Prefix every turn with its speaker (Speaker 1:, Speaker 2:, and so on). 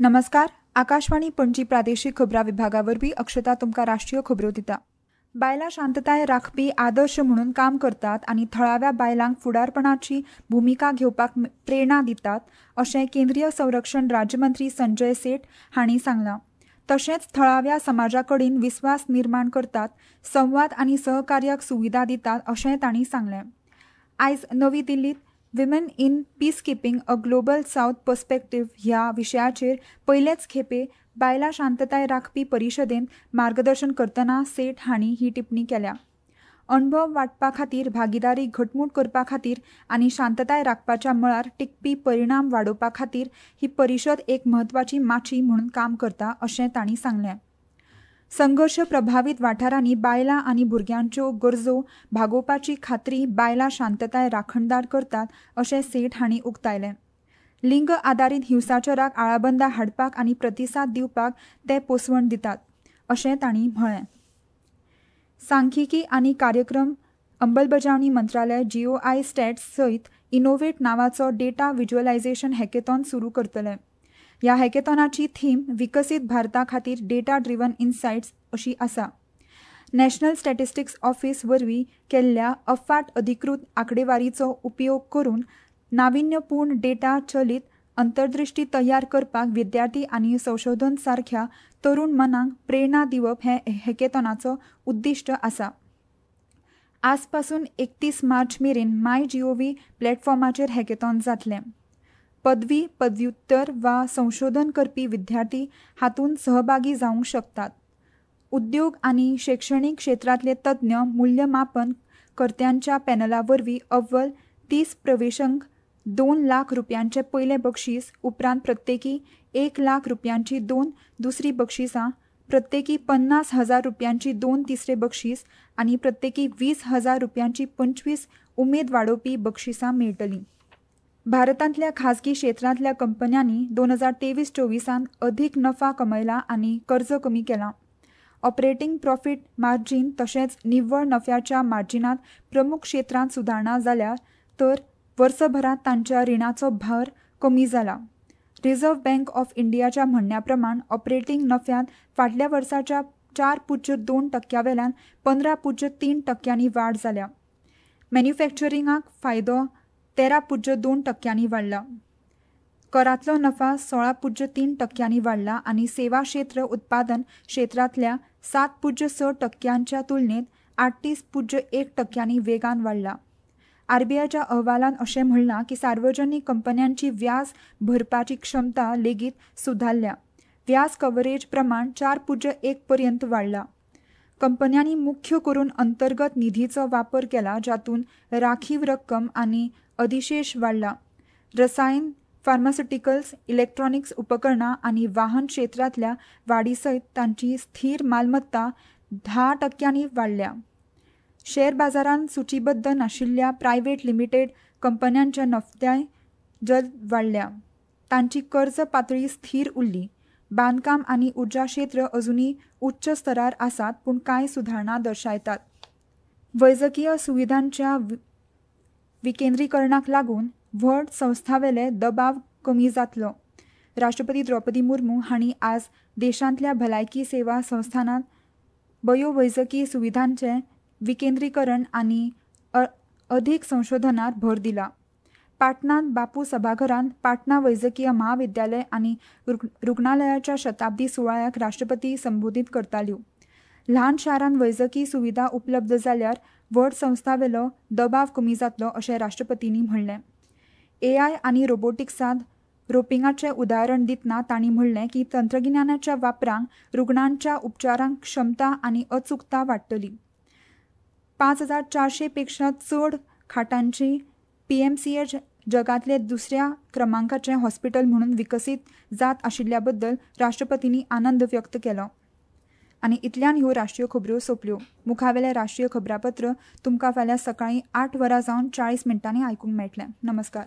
Speaker 1: नमस्कार, आकाशवाणी पणजी प्रादेशीक खबरां विभागा वरवीं अक्षता तुमकां राष्ट्रीय खबरो दिता. बायलां शांतताय राखपी आदर्श म्हणून काम करतात आनी थळाव्या बायलांक फुडारपणाची भुमिका घेवपाक प्रेरणा दितात अशें केंद्रीय संरक्षण राज्यमंत्री संजय सेठ हांणी सांगलां. तशेंच थळाव्या समाजा कडेन विस्वास निर्माण करतात, संवाद आनी सहकार्याक सुविधा दितात अशेंय तांणी सांगलें. आयज नवी दिल्लीत women in peacekeeping a global south perspective ह्या विशयाचेर पयलेच खेपे बायलां शांतताय राखपी परिशदेंत मार्गदर्शन करतना सेठ हांणी ही टिप्पणी केल्या. अणभव वांटपा खातीर, भागिदारी घटमूट करपा खातीर आनी शांतताय राखपाच्या मळार टिकपी परिणाम वाडोवपा खातीर ही परिशद एक म्हत्वाची माची म्हणून काम करता अशें तांणी सांगलें. संघर्श प्रभावीत वाठारांनी बायलां आनी भुरग्यांच्यो गरजो भागोवपाची खात्री बायलां शांतताय राखणदार करतात अशें सेठ हांणी उक्तायलें. लिंग आदारीत हिंसाचाराक आळाबंदा हाडपाक आनी प्रतिसाद दिवपाक ते पोसवण दितात अशें तांणी म्हळें. सांख्यिकी आनी कार्यक्रम अंमलबजावणी मंत्रालय जीओआय स्टॅट्स सयत इनोव्हेट नांवाचो डेटा व्हिज्युअलायझेशन हॅकेथॉन सुरू करतले. ह्या हॅकेथॉनाची थीम विकसीत भारता खातीर डेटा ड्रिवन इन्सायट्स अशी आसा. नॅशनल स्टॅटिस्टिक्स ऑफिस वरवीं केल्ल्या अफाट अधिकृत आंकडेवारीचो उपयोग करून नाविन्यपूर्ण डेटा चलीत अंतर्दृष्टी तयार करपाक विद्यार्थी आनी संशोधन सारख्या तरुण मनांक प्रेरणा दिवप हें हॅकेथॉनाचो उद्दिश्ट आसा. आजपासून 31 मार्च मेरेन माय जीओव्ही प्लॅटफॉर्माचेर हॅकेथॉन जातलें. पदवी, पदव्युत्तर वा संशोधन करपी विद्यार्थी हातूंत सहभागी जावंक शकतात. उद्योग आनी शैक्षणीक क्षेत्रांतले तज्ञ मूल्यमापन कर्त्यांच्या पॅनला वरवीं अव्वल 30 प्रवेशंक 2 लाख रुपयांचें पयलें बक्षीस, उपरांत प्रत्येकी 1 लाख रुपयांची 2 दुसरी बक्षिसां, प्रत्येकी 50,000 रुपयांची 2 तिसरे बक्षीस आनी प्रत्येकी 20,000 रुपयांची 25 उमेद वाडोवपी बक्षिसां मेळटलीं. भारतांतल्या खाजगी क्षेत्रांतल्या कंपन्यांनी 2023-24 अधीक नफा कमयला आनी कर्ज कमी केलां. ऑपरेटिंग प्रॉफिट मार्जीन तशेंच निव्वळ नफ्याच्या मार्जिनात प्रमुख क्षेत्रांत सुदारणा जाल्या तर वर्सभरांत तांच्या रिणाचो भार कमी जाला. रिझर्व्ह बँक ऑफ इंडियाच्या म्हणण्या प्रमाण ऑपरेटिंग नफ्यांत फाटल्या वर्साच्या 4.2% वेल्यान 15.3% वाड जाल्या. मॅन्युफॅक्चरिंगाक फायदो 13.2% वाडला. करांतलो नफा 16.3% वाडला आनी सेवा क्षेत्र उत्पादन क्षेत्रांतल्या 7.6% तुलनेत 38.1% वेगान वाडला. आरबीआयच्या अहवालान अशें म्हणलां की सार्वजनीक कंपन्यांची व्याज भरपाची क्षमता लेगीत सुदारल्या. व्याज कव्हरेज प्रमाण 4.1 पर्यंत वाडला. कंपन्यांनी मुख्य करून अंतर्गत निधीचो वापर केला जातूंत राखीव रक्कम आनी अधिशेष वाडला. रसायन, फार्मास्युटिकल्स, इलेक्ट्रॉनिक्स उपकरणां आनी वाहन क्षेत्रांतल्या वाडी सयत तांची स्थीर मालमत्ता 10% वाडल्या. शेअर बाजारांत सुचीबद्ध नाशिल्ल्या प्रायव्हेट लिमिटेड कंपन्यांच्या नफ्याय जलद वाडल्या. तांची कर्ज पातळी स्थीर उरली. बांदकाम आनी उर्जा क्षेत्र अजुनूय उच्च स्तरार आसात पूण कांय सुदारणा दर्शायतात. वैजकीय सुविधांच्या विकेंद्रीकरणाक लागून व्हड संस्थांवेले दबाव कमी जातलो. राष्ट्रपती द्रौपदी मुर्मू हांणी आज देशांतल्या भलायकी सेवा संस्थानांत बयोवैजकी सुविधांचें विकेंद्रीकरण आनी अधीक संशोधनार भर दिला. पाटणांत बापू सभाघरांत पाटणा वैजकीय म्हाविद्यालय आनी रुग्णालयाच्या शताब्दी सुवाळ्याक राष्ट्रपती संबोधीत करताल्यो. ल्हान शारांत वैजकी सुविधा उपलब्ध जाल्यार व्हड संस्थांवेलो दबाव कमी जातलो अशें राष्ट्रपतींनी म्हणलें. एआय आनी रोबोटिक्सांत रोपिंगाचें उदाहरण दितना तांणी म्हणलें की तंत्रगिन्यानाच्या वापरांक रुग्णांच्या उपचारांक क्षमता आनी अचूकता वाडटली. 5400 पेक्षा चड खाटांची पीएमसीएच जगांतले दुसऱ्या क्रमांकाचें हॉस्पिटल म्हणून विकसीत जात आशिल्ल्या बद्दल राष्ट्रपतींनी आनंद व्यक्त केलो. आनी इतल्यान ह्यो राष्ट्रीय खबऱ्यो सोंपल्यो. मुखावेलें राष्ट्रीय खबरापत्र तुमकां फाल्यां सकाळीं 8:40 आयकूंक मेळटलें. नमस्कार.